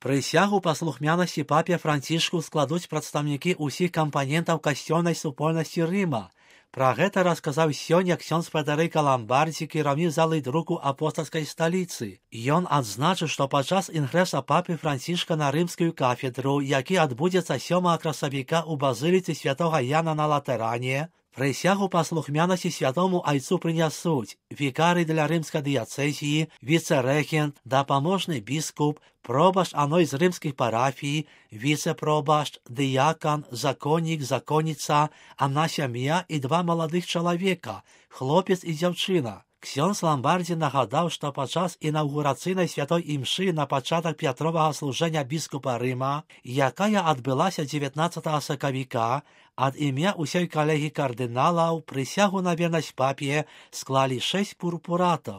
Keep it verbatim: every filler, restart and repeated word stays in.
Прысягу паслухмянасці папе Францішку складуць прадстаўнікі ўсіх кампанентаў касцёльнай супольнасці Рыма. Пра гэта расказаў сёння ксёндз Федэрыка Ламбардзі, кіраўнік залы друку апостальскай сталіцы. Ён адзначыў, што падчас інгрэса папы Францішка на рымскую кафедру, які адбудзецца сёмага красавіка ў базыліцы святога Яна на Латэране, прысягу паслухмянасці святому айцу прынясуць вікары для рымскай дыяцэзіі, віцэ-рэгент, дапаможны біскуп, пробашч аной з рымскіх парафій, віцэ-пробашч, дыякан, законнік, законніца, адна сям'я і два маладых чалавека, хлопец і дзяўчына. Ксёндз Ламбардзі нагадаў, што падчас інаўгурацыйнай святой імшы на пачатак пятровага служэння біскупа Рыма, якая адбылася дзевятнаццатага сакавіка, ад імя ўсёй калегі кардыналаў прысягу на вернасць папе склалі шэсць пурпуратаў.